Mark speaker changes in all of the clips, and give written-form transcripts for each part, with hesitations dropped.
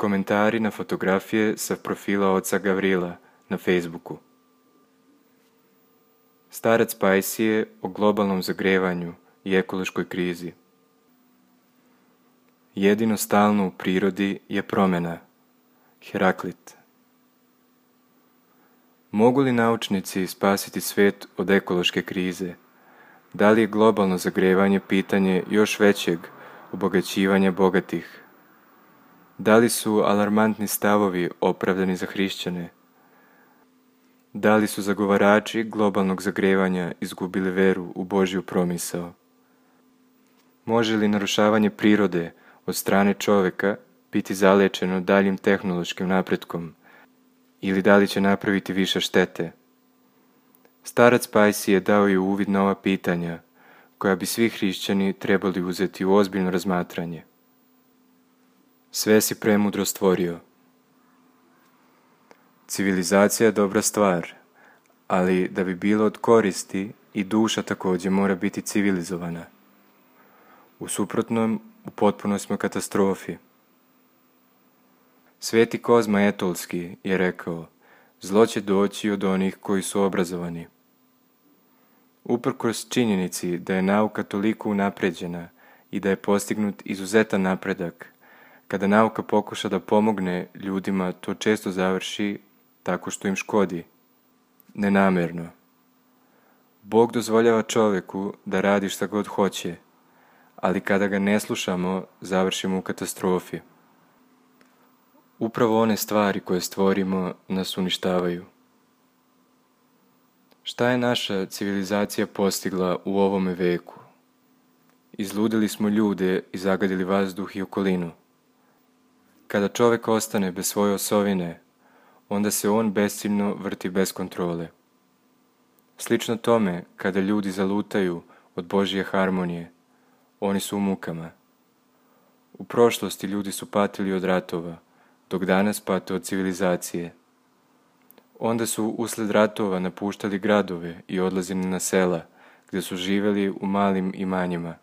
Speaker 1: Komentari na fotografije sa profila oca Gavrila na Facebooku. Starac Pajsije o globalnom zagrevanju i ekološkoj krizi. Jedino stalno u prirodi je promjena. Heraklit. Mogu li naučnici spasiti svijet od ekološke krize? Da li je globalno zagrevanje pitanje još većeg obogaćivanja bogatih? Da li su alarmantni stavovi opravdani za hrišćane? Da li su zagovarači globalnog zagrevanja izgubili veru u Božju promisao? Može li narušavanje prirode od strane čovjeka biti zalečeno daljim tehnološkim napretkom ili da li će napraviti više štete? Starac Pajsije dao je uvid na ova pitanja koja bi svi hrišćani trebali uzeti u ozbiljno razmatranje. Sve si premudro stvorio. Civilizacija je dobra stvar, ali da bi bilo od koristi i duša također mora biti civilizovana. U suprotnom, u potpunoj smo katastrofi. Sveti Kozma Etolski je rekao, zlo će doći od onih koji su obrazovani. Uprkos činjenici da je nauka toliko unapređena i da je postignut izuzetan napredak, kada nauka pokuša da pomogne ljudima, to često završi tako što im škodi. Nenamjerno. Bog dozvoljava čovjeku da radi šta god hoće, ali kada ga ne slušamo, završimo u katastrofi. Upravo one stvari koje stvorimo nas uništavaju. Šta je naša civilizacija postigla u ovome veku? Izludili smo ljude i zagadili vazduh i okolinu. Kada čovjek ostane bez svoje osovine, onda se on besciljno vrti bez kontrole. Slično tome, kada ljudi zalutaju od Božje harmonije, oni su u mukama. U prošlosti ljudi su patili od ratova, dok danas pate od civilizacije. Onda su uslijed ratova napuštali gradove i odlazili na sela, gdje su živjeli u malim imanjima.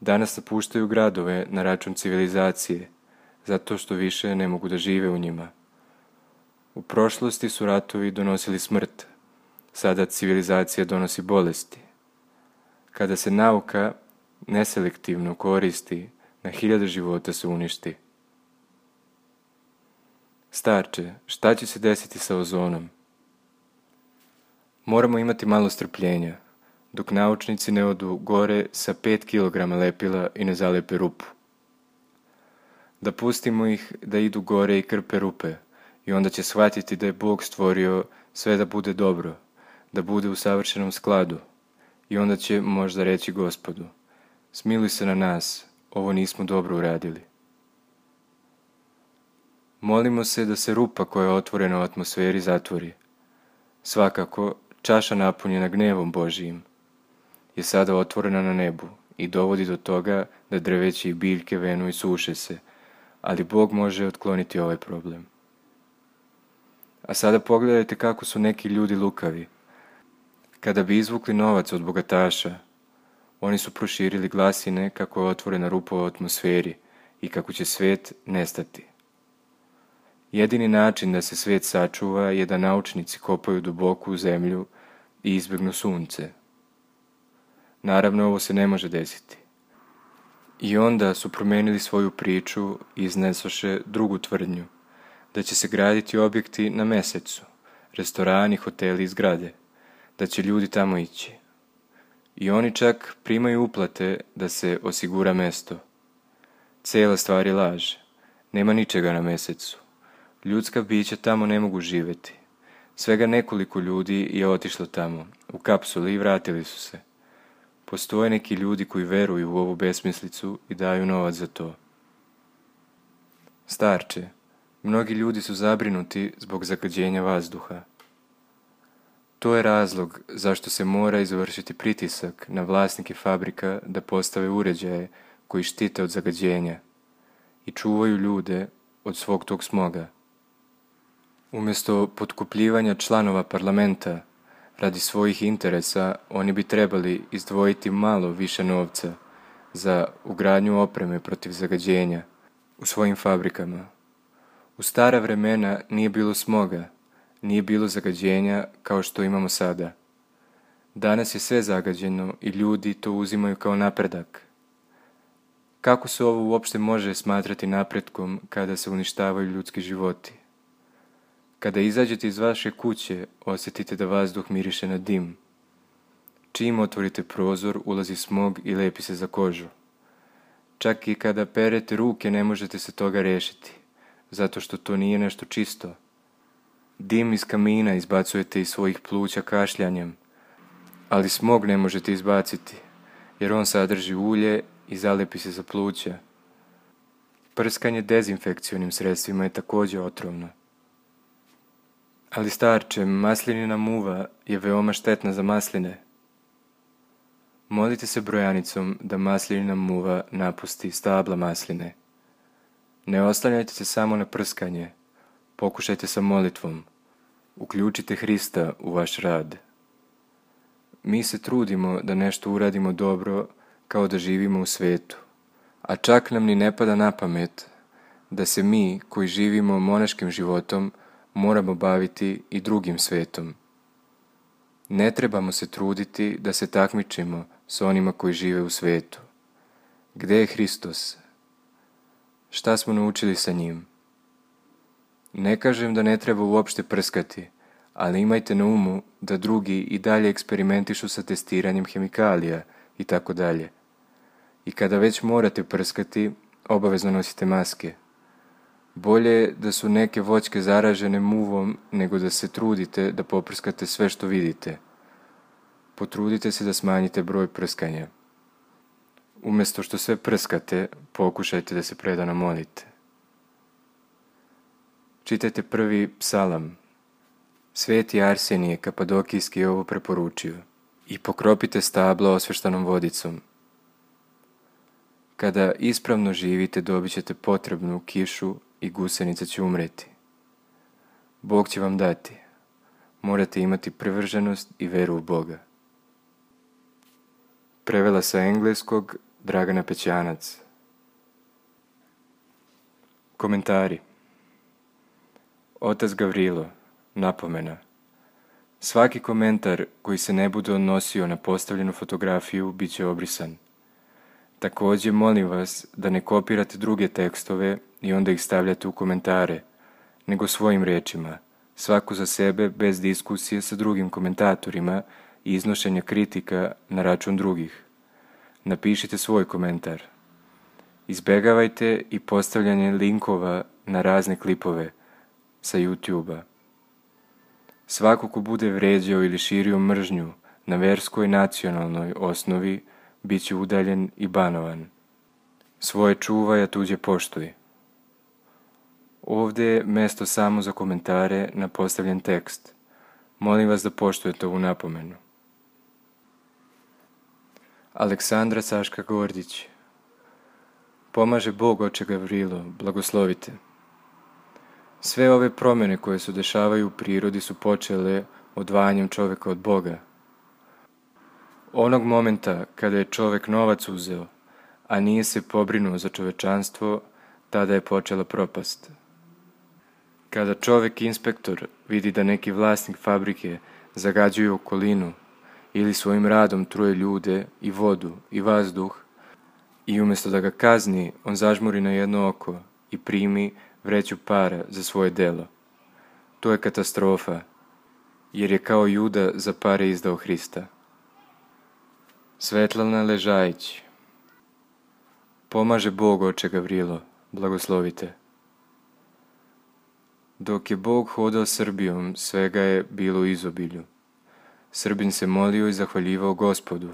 Speaker 1: Danas napuštaju gradove na račun civilizacije, zato što više ne mogu da žive u njima. U prošlosti su ratovi donosili smrt, sada civilizacija donosi bolesti. Kada se nauka neselektivno koristi, na 1000 života se uništi. Starče, šta će se desiti sa ozonom? Moramo imati malo strpljenja, dok naučnici ne odu gore sa 5 kg lepila i ne zalepe rupu. Da pustimo ih da idu gore i krpe rupe i onda će shvatiti da je Bog stvorio sve da bude dobro, da bude u savršenom skladu i onda će možda reći Gospodu, smiluj se na nas, ovo nismo dobro uradili. Molimo se da se rupa koja je otvorena u atmosferi zatvori. Svakako, čaša napunjena gnevom Božijim je sada otvorena na nebu i dovodi do toga da drveće i biljke venu i suše se, ali Bog može otkloniti ovaj problem. A sada pogledajte kako su neki ljudi lukavi. Kada bi izvukli novac od bogataša, oni su proširili glasine kako je otvorena rupa u atmosferi i kako će svijet nestati. Jedini način da se svijet sačuva je da naučnici kopaju duboko u zemlju i izbjegnu sunce. Naravno, ovo se ne može desiti. I onda su promijenili svoju priču i iznesoše drugu tvrdnju, da će se graditi objekti na Mesecu, restorani, hoteli i zgrade, da će ljudi tamo ići. I oni čak primaju uplate da se osigura mesto. Cijela stvar je laž. Nema ničega na Mesecu. Ljudska bića tamo ne mogu živjeti. Svega nekoliko ljudi je otišlo tamo, u kapsuli i vratili su se. Postoje neki ljudi koji veruju u ovu besmislicu i daju novac za to. Starče, mnogi ljudi su zabrinuti zbog zagađenja vazduha. To je razlog zašto se mora izvršiti pritisak na vlasnike fabrika da postave uređaje koji štite od zagađenja i čuvaju ljude od svog tog smoga. Umjesto potkupljivanja članova parlamenta radi svojih interesa, oni bi trebali izdvojiti malo više novca za ugradnju opreme protiv zagađenja u svojim fabrikama. U stara vremena nije bilo smoga, nije bilo zagađenja kao što imamo sada. Danas je sve zagađeno i ljudi to uzimaju kao napredak. Kako se ovo uopšte može smatrati napretkom kada se uništavaju ljudski životi? Kada izađete iz vaše kuće, osjetite da vazduh miriše na dim. Čim otvorite prozor, ulazi smog i lepi se za kožu. Čak i kada perete ruke ne možete se toga rešiti, zato što to nije nešto čisto. Dim iz kamina izbacujete iz svojih pluća kašljanjem, ali smog ne možete izbaciti, jer on sadrži ulje i zalepi se za pluća. Prskanje dezinfekcionim sredstvima je također otrovno. Ali starče, maslinina muva je veoma štetna za masline. Molite se brojanicom da maslinina muva napusti stabla masline. Ne oslanjajte se samo na prskanje, pokušajte sa molitvom. Uključite Hrista u vaš rad. Mi se trudimo da nešto uradimo dobro kao da živimo u svetu, a čak nam ni ne pada na pamet da se mi koji živimo monaškim životom moramo baviti i drugim svetom. Ne trebamo se truditi da se takmičimo s onima koji žive u svetu. Gde je Hristos? Šta smo naučili sa njim? Ne kažem da ne treba uopšte prskati, ali imajte na umu da drugi i dalje eksperimentišu sa testiranjem hemikalija i tako dalje. I kada već morate prskati, obavezno nosite maske. Bolje je da su neke voćke zaražene muvom nego da se trudite da poprskate sve što vidite. Potrudite se da smanjite broj prskanja. Umjesto što sve prskate, pokušajte da se predano molite. Čitajte prvi psalam. Sveti Arsenije Kapadokijski je ovo preporučio. I pokropite stabla osveštanom vodicom. Kada ispravno živite, dobit ćete potrebnu kišu i gusenica će umreti. Bog će vam dati. Morate imati privrženost i veru u Boga. Prevela sa engleskog Dragana Pećanac. Komentari. Otac Gavrilo, napomena. Svaki komentar koji se ne bude odnosio na postavljenu fotografiju bit će obrisan. Također molim vas da ne kopirate druge tekstove i onda ih stavljate u komentare, nego svojim rečima, svaku za sebe bez diskusije sa drugim komentatorima i iznošenja kritika na račun drugih. Napišite svoj komentar. Izbegavajte i postavljanje linkova na razne klipove sa YouTube-a. Svako ko bude vređao ili širio mržnju na verskoj i nacionalnoj osnovi bit će udaljen i banovan. Svoje čuvaj, a tuđe poštuj. Ovdje je mesto samo za komentare na postavljen tekst. Molim vas da poštujete ovu napomenu. Aleksandra Saška Gordić. Pomaže Bog, oče Gavrilo, blagoslovite. Sve ove promjene koje se dešavaju u prirodi su počele odvajanjem čovjeka od Boga. Onog momenta kada je čovjek novac uzeo, a nije se pobrinuo za čovečanstvo, tada je počela propast. Kada čovjek inspektor vidi da neki vlasnik fabrike zagađuje okolinu ili svojim radom truje ljude i vodu i vazduh, i umjesto da ga kazni, on zažmuri na jedno oko i primi vreću para za svoje delo. To je katastrofa, jer je kao Juda za pare izdao Hrista. Svetlana Ležajić. Pomaže Bog, oče Gavrilo, blagoslovite. Dok je Bog hodao Srbijom, svega je bilo u izobilju. Srbin se molio i zahvaljivao Gospodu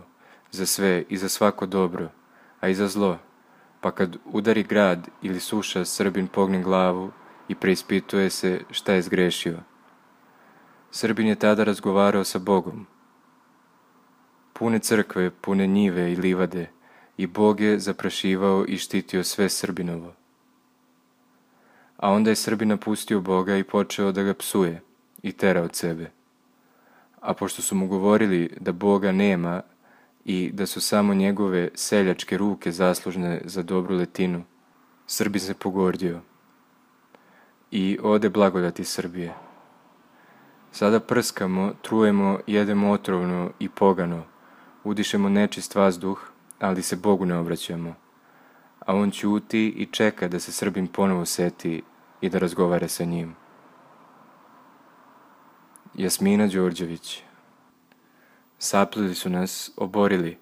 Speaker 1: za sve i za svako dobro, a i za zlo, pa kad udari grad ili suša, Srbin pogne glavu i preispituje se šta je zgrešio. Srbin je tada razgovarao sa Bogom. Pune crkve, pune njive i livade, i Bog je zaprašivao i štitio sve Srbinovo. A onda je Srbin napustio Boga i počeo da ga psuje i tera od sebe. A pošto su mu govorili da Boga nema i da su samo njegove seljačke ruke zaslužne za dobru letinu, Srbin se pogordio. i ode blagodati Srbije. Sada prskamo, trujemo, jedemo otrovno i pogano, udišemo nečist vazduh, ali se Bogu ne obraćamo. A on ćuti i čeka da se Srbin ponovo seti i da razgovara sa njim. Jasmina Đorđević. Saplili su nas, oborili.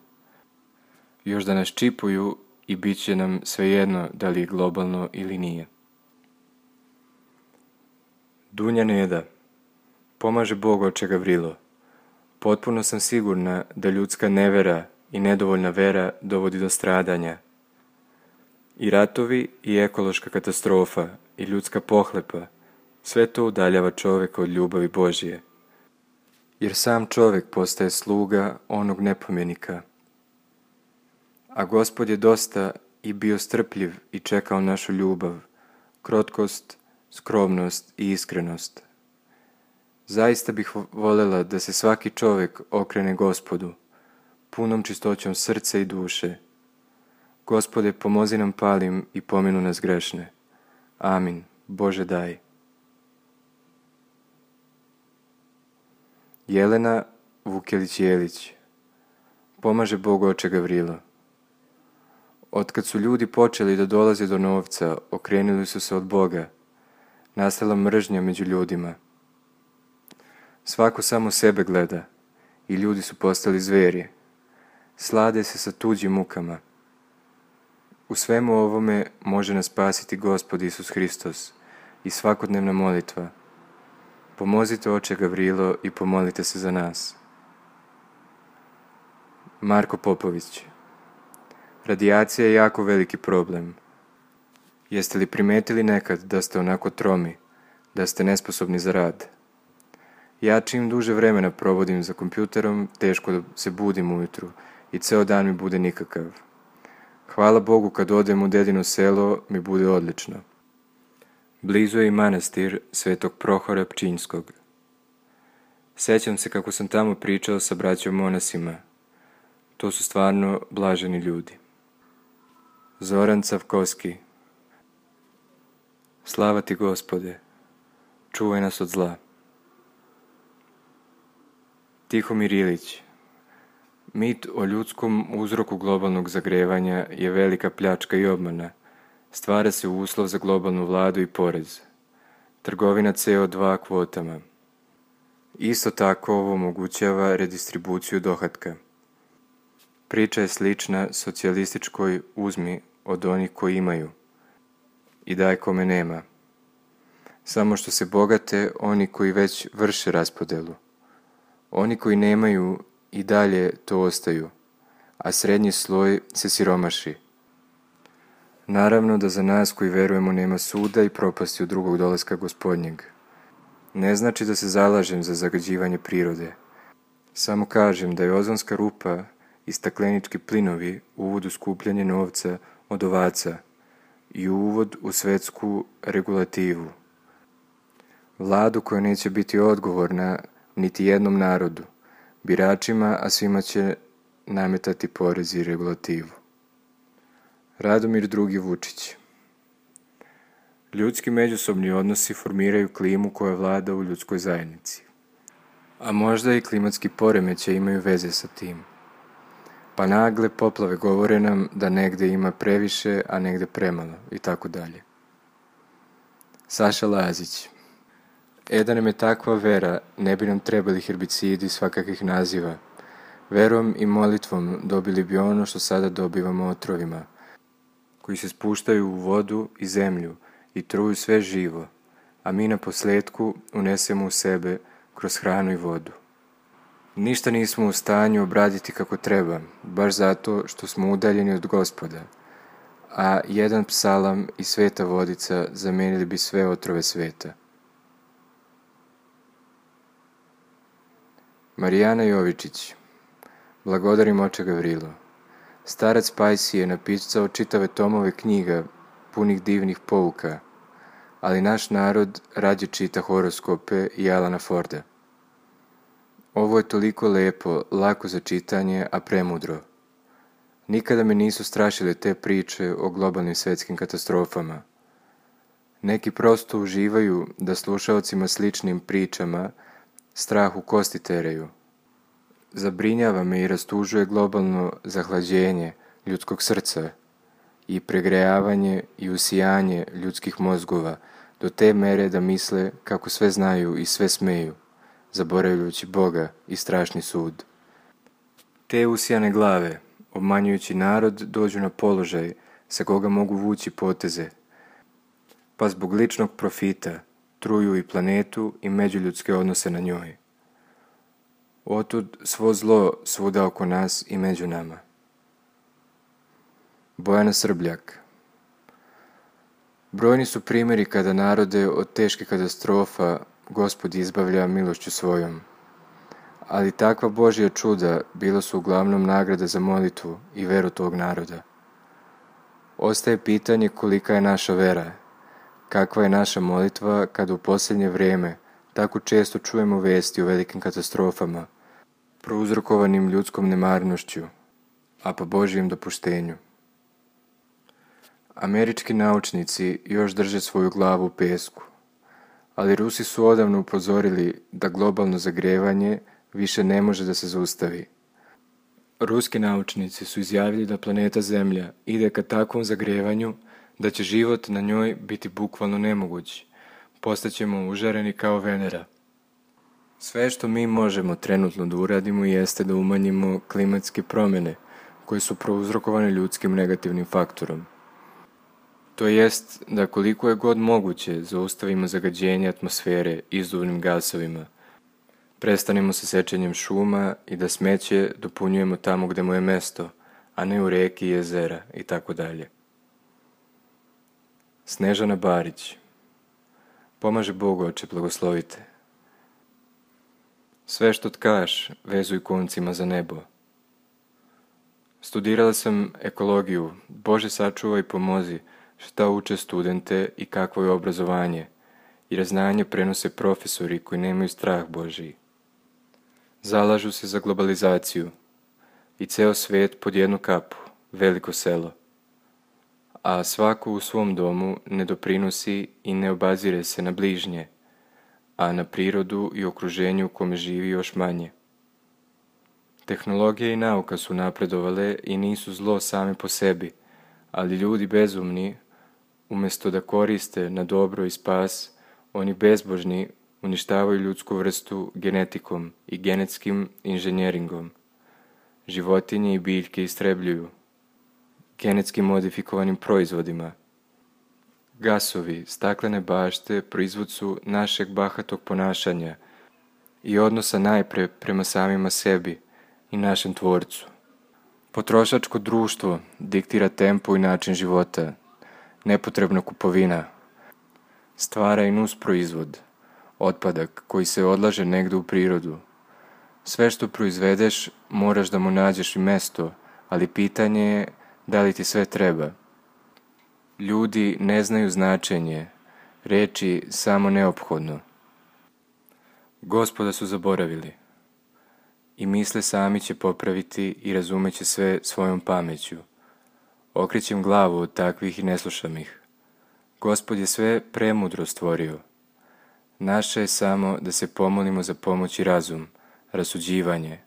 Speaker 1: Još da nas čipuju i bit će nam svejedno da li je globalno ili nije. Dunja Neda. Pomaže Bog oče Gavrilo. Potpuno sam sigurna da ljudska nevera i nedovoljna vera dovodi do stradanja. I ratovi i ekološka katastrofa i ljudska pohlepa, sve to udaljava čovjeka od ljubavi Božje. Jer sam čovjek postaje sluga onog nepomjenika. A Gospod je dosta i bio strpljiv i čekao našu ljubav, krotkost, skromnost i iskrenost. Zaista bih voljela da se svaki čovjek okrene Gospodu, punom čistoćom srca i duše. Gospode, pomozi nam palim i pominu nas grešne. Amin. Bože daj. Jelena Vukelić-Jelić. Pomaže Bog oče Gavrilo. Otkad su ljudi počeli da dolaze do novca, okrenuli su se od Boga. Nastala mržnja među ljudima. Svako samo sebe gleda i ljudi su postali zveri. Slade se sa tuđim mukama. U svemu ovome može nas spasiti Gospod Isus Hristos i svakodnevna molitva. Pomozite oče Gavrilo i pomolite se za nas. Marko Popović. Radijacija je jako veliki problem. Jeste li primetili nekad da ste onako tromi, da ste nesposobni za rad? Ja čim duže vremena provodim za kompjuterom, teško da se budim ujutru i ceo dan mi bude nikakav. Hvala Bogu kad odem u dedino selo mi bude odlično. Blizu je i manastir Svetog Prohora Pčinjskog. Sjećam se kako sam tamo pričao sa braćom monasima. To su stvarno blaženi ljudi. Zoran Cavkovski. Slava ti Gospode, čuvaj nas od zla. Tihomir Ilić. Mit o ljudskom uzroku globalnog zagrevanja je velika pljačka i obmana. Stvara se uslov za globalnu vladu i porez. Trgovina CO2 kvotama. Isto tako ovo omogućava redistribuciju dohotka. Priča je slična socijalističkoj uzmi od onih koji imaju i daj kome nema. Samo što se bogate oni koji već vrše raspodelu. Oni koji nemaju i dalje to ostaju, a srednji sloj se siromaši. Naravno da za nas koji verujemo nema suda i propasti od drugog dolaska Gospodnjeg. Ne znači da se zalažem za zagađivanje prirode. Samo kažem da je ozonska rupa i staklenički plinovi uvod u skupljanje novca od ovaca i uvod u svetsku regulativu. Vladu koja neće biti odgovorna niti jednom narodu, biračima, a svima će nametati porez i regulativu. Radomir II. Vučić. Ljudski međusobni odnosi formiraju klimu koja vlada u ljudskoj zajednici. A možda i klimatski poremećaj imaju veze sa tim. Pa nagle poplave govore nam da negde ima previše, a negde premalo i tako dalje. Saša Lazić. Da nam je takva vera, ne bi nam trebali herbicidi svakakvih naziva. Verom i molitvom dobili bi ono što sada dobivamo otrovima, koji se spuštaju u vodu i zemlju i truju sve živo, a mi na posljetku unesemo u sebe kroz hranu i vodu. Ništa nismo u stanju obraditi kako treba, baš zato što smo udaljeni od Gospoda, a jedan psalam i sveta vodica zamenili bi sve otrove sveta. Marijana Jovičić. Blagodarim oče Gavrilo. Starac Pajsi je napisao čitave tomove knjiga punih divnih pouka, ali naš narod rađe čita horoskope i Alana Forda. Ovo je toliko lepo, lako za čitanje, a premudro. Nikada me nisu strašile te priče o globalnim svetskim katastrofama. Neki prosto uživaju da slušaocima sličnim pričama strah u kosti teraju. Zabrinjava me i rastužuje globalno zahlađenje ljudskog srca i pregrejavanje i usijanje ljudskih mozgova do te mere da misle kako sve znaju i sve smeju, zaboravljajući Boga i strašni sud. Te usijane glave, obmanjujući narod, dođu na položaj sa koga mogu vući poteze, pa zbog ličnog profita truju i planetu i međuljudske odnose na njoj. Otud svo zlo svuda oko nas i među nama. Bojana Srbljak. Brojni su primjeri kada narode od teških katastrofa Gospod izbavlja milošću svojom. Ali takva Božja čuda bila su uglavnom nagrada za molitvu i veru tog naroda. Ostaje pitanje kolika je naša vera, kakva je naša molitva kada u posljednje vrijeme tako često čujemo vesti o velikim katastrofama, prouzrokovanim ljudskom nemarnošću, a po Božjem dopuštenju. Američki naučnici još drže svoju glavu u pesku, ali Rusi su odavno upozorili da globalno zagrevanje više ne može da se zaustavi. Ruski naučnici su izjavili da planeta Zemlja ide ka takvom zagrevanju da će život na njoj biti bukvalno nemoguć. Postaćemo užareni kao Venera. Sve što mi možemo trenutno da uradimo jeste da umanjimo klimatske promjene koje su prouzrokovane ljudskim negativnim faktorom. To jest da koliko je god moguće zaustavimo zagađenje atmosfere izduvnim gasovima, prestanemo sa sečenjem šuma i da smeće dopunjujemo tamo gde mu je mesto, a ne u reki, jezera itd. Snežana Barić. Pomaže Bog, Oče, blagoslovite. Sve što tkaš, vezuj koncima za nebo. Studirala sam ekologiju. Bože, sačuvaj i pomozi šta uče studente i kakvo je obrazovanje, jer znanje prenose profesori koji nemaju strah Božiji. Zalažu se za globalizaciju i ceo svet pod jednu kapu, veliko selo. A svako u svom domu ne doprinosi i ne obazire se na bližnje, a na prirodu i okruženju u kome živi još manje. Tehnologija i nauka su napredovale i nisu zlo same po sebi, ali ljudi bezumni, umjesto da koriste na dobro i spas, oni bezbožni uništavaju ljudsku vrstu genetikom i genetskim inženjeringom. Životinje i biljke istrebljuju genetski modifikovanim proizvodima. Gasovi, staklene bašte proizvod su našeg bahatog ponašanja i odnosa najpre prema samima sebi i našem tvorcu. Potrošačko društvo diktira tempo i način života. Nepotrebna kupovina stvara i nus proizvod, otpadak koji se odlaže negde u prirodu. Sve što proizvedeš moraš da mu nađeš i mesto, ali pitanje je da li ti sve treba. Ljudi ne znaju značenje, reči samo neophodno. Gospoda su zaboravili i misle sami će popraviti i razumeće sve svojom pameću. Okrećem glavu od takvih i ne slušam ih. Gospod je sve premudro stvorio. Naše je samo da se pomolimo za pomoć i razum, rasuđivanje.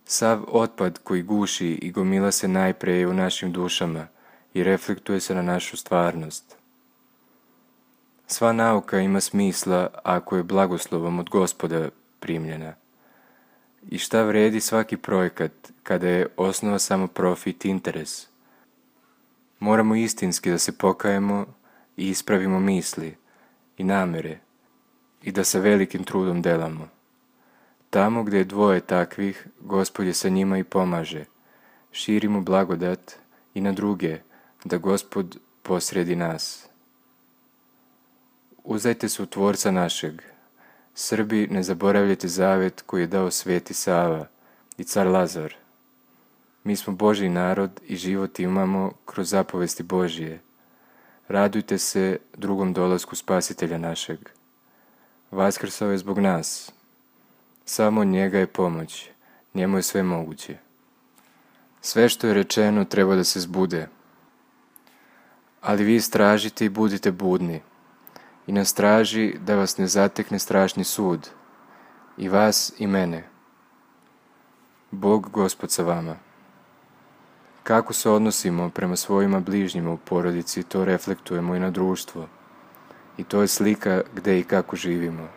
Speaker 1: Sav otpad koji guši i gomila se najpre je u našim dušama i reflektuje se na našu stvarnost. Sva nauka ima smisla ako je blagoslovom od Gospoda primljena. I šta vredi svaki projekat kada je osnova samo profit i interes? Moramo istinski da se pokajemo i ispravimo misli i namere i da sa velikim trudom delamo. Tamo gdje je dvoje takvih, Gospod je sa njima i pomaže. Širimo blagodat i na druge, da Gospod posredi nas. Uzdajte se u Tvorca našeg. Srbi, ne zaboravljajte zavet koji je dao Sveti Sava i car Lazar. Mi smo Božji narod i život imamo kroz zapovesti Božije. Radujte se drugom dolasku Spasitelja našeg. Vaskrsao je zbog nas. Samo od njega je pomoć, njemu je sve moguće. Sve što je rečeno treba da se zbude. Ali vi istražite i budite budni, i na straži da vas ne zatekne strašni sud, i vas i mene. Bog Gospod sa vama. Kako se odnosimo prema svojima bližnjima u porodici, to reflektujemo i na društvo. I to je slika gde i kako živimo.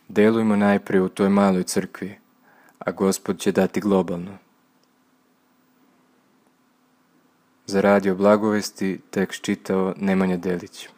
Speaker 1: Delujmo najprije u toj maloj crkvi, a Gospod će dati globalno. Za Radio Blagovesti tekst čitao Nemanja Delić.